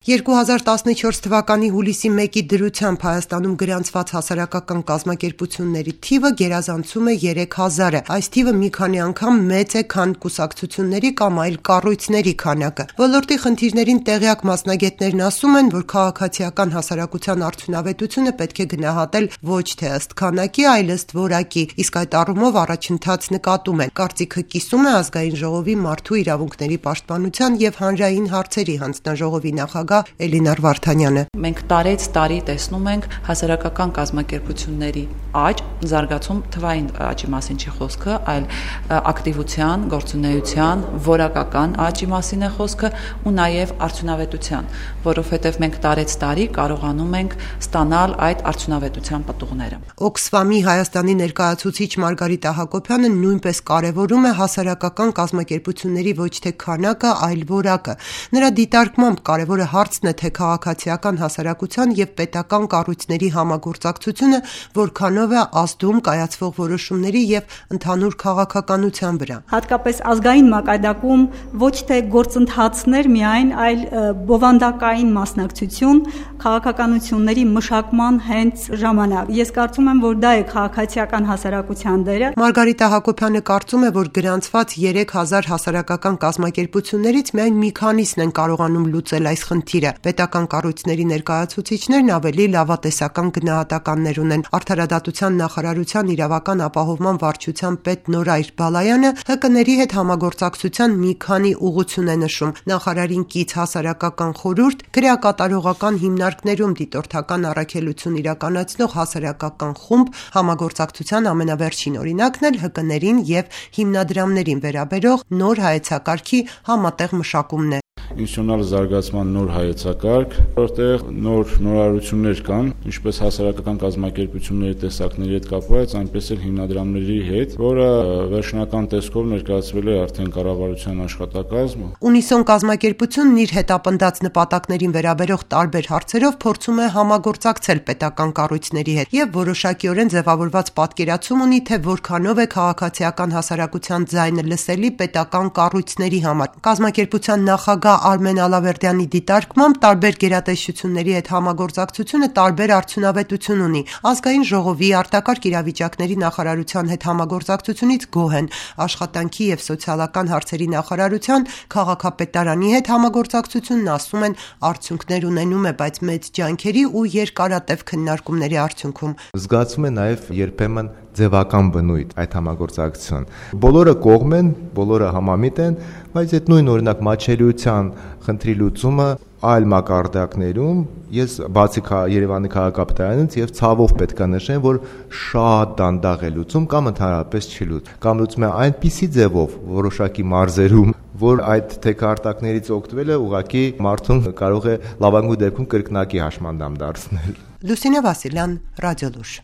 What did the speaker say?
2014 թվականի հուլիսի 1-ի դրությամբ Հայաստանում գրանցված հասարակական կազմակերպությունների թիվը գերազանցում է 3000-ը։ Այս թիվը մի քանի անգամ մեծ է, քան կուսակցությունների կամ այլ կառույցների քանակը։ Ոլորտի խնդիրներին տեղյակ մասնագետներն ասում են, որ քաղաքացիական հասարակության արդյունավետությունը պետք է գնահատել ոչ թե ըստ քանակի, այլ ըստ որակի, իսկ այդ առումով առաջընթաց նկատում են։ Կարծիքը կիսում է Ազգային ժողովի մարդու իրավունքների պաշտպանության եւ հանրային հարցերի հանձնաժողովի նախագահ Էլինար Վարդանյանը։ Մենք տարեց տարի տեսնում ենք հասարակական կազմակերպությունների աճ, զարգացում, թվային աճի մասին չի խոսքը, այլ ակտիվության, գործունեության, որակական աճի մասին է խոսքը ու նաև արդյունավետության, որովհետև մենք տարեց տարի կարողանում ենք ստանալ այդ արդյունավետության պտուղները։ Օքսֆամի Հայաստանի ներկայացուցիչ Մարգարիտա Հակոբյանը նույնպես կարևորում է հասարակական կազմակերպությունների ոչ թե քանակը, այլ որակը։ Նրա դիտարկմամբ կարևորը հարցն է, թե քաղաքացիական հասարակության եւ պետական կառույցների համագործակցությունը որքանով է ազդում կայացվող որոշումների եւ ընդհանուր քաղաքականության վրա։ Հատկապես ազգային մակարդակում ոչ թե գործընթացներ միայն, այլ բովանդակային մասնակցություն քաղաքականությունների մշակման հենց ժամանակ։ Ես կարծում եմ, որ դա է քաղաքացիական հասարակության դերը։ Մարգարիտա Հակոբյանը կարծում է, որ գրանցված 3000 հասարակական կազմակերպություններից միայն մի քանիսն են կարողանում լուծել այս խնդիրը։ Պետական կառույցների ներկայացուցիչներն ավելի լավատեսական գնահատականներ ունեն։ Արդարադատության նախարարության իրավական ապահովման վարչության պետ Նորայր Բալայանը ՀԿ-ների հետ համագործակցության մի քանի ուղղություն է նշում։ Նախարարին կից հասարակական խորհուրդ, քրեակատարողական հիմնարկներում դիտորդական առաքելություն իրականացնող հասարակական խումբ, համագործակցության ամենավերջին օրինակն էլ ՀԿ-ներին եւ հիմնադրամներին վերաբերող նոր հայեցակարգի համատեղ մշակումն է։ Ինստիտուցիոնալ զարգացման նոր հայեցակարգ, որտեղ նորարարություններ կան, ինչպես հասարակական կազմակերպությունների տեսակների հետ կապված, այնպես էլ հիմնադրամների հետ, որը վերջնական տեսքով ներկայացվել է արդեն կառավարության աշխատակազմը։ Ունիսոն կազմակերպությունն իր հետապնդած նպատակներին վերաբերող տարբեր հարցերով փորձում է համագործակցել պետական կառույցների հետ եւ որոշակիորեն ձևավորված պատկերացում ունի, թե որքանով է քաղաքացիական հասարակության ձայնը լսելի պետական կառույցների համար։ Կազմակերպության նախագահ Արմեն Ալավերդյանի դիտարկմամբ տարբեր գերատեսչությունների հետ համագործակցությունը տարբեր արդյունավետություն ունի։ Ազգային ժողովի արտակարգ իրավիճակների նախարարության հետ համագործակցությունից գոհ են։ Աշխատանքի եւ սոցիալական հարցերի նախարարության քաղաքապետարանի հետ համագործակցությունն ասում են արդյունքներ ունենում է, բայց մեծ ջանքերի ու երկարատև քննարկումների արդյունքում։ Զգացում է նաեւ երբեմն ձևական բնույթ այդ համագործակցություն։ Բոլորը կողմ են, բոլորը համամիտ են, բայց այդ նույն օրինակ մատչելիության խնդրի լուծումը այլ մակարդակներում ես բացի Երևանի քաղաքապետարանից եւ ցավով պետք է նշեմ, որ շատ դանդաղ է լուծում կամ ընդհանրապես չի լուծում։ Կամ լուծում է այնպիսի ձևով որոշակի մարզերում, որ այդ թեկարտակներից օգտվելը ուղղակի մարդուն կարող է լավագույն դեպքում կրկնակի հաշմանդամ դարձնել։ Լուսինե Վասիլյան, Ռադիոլուր։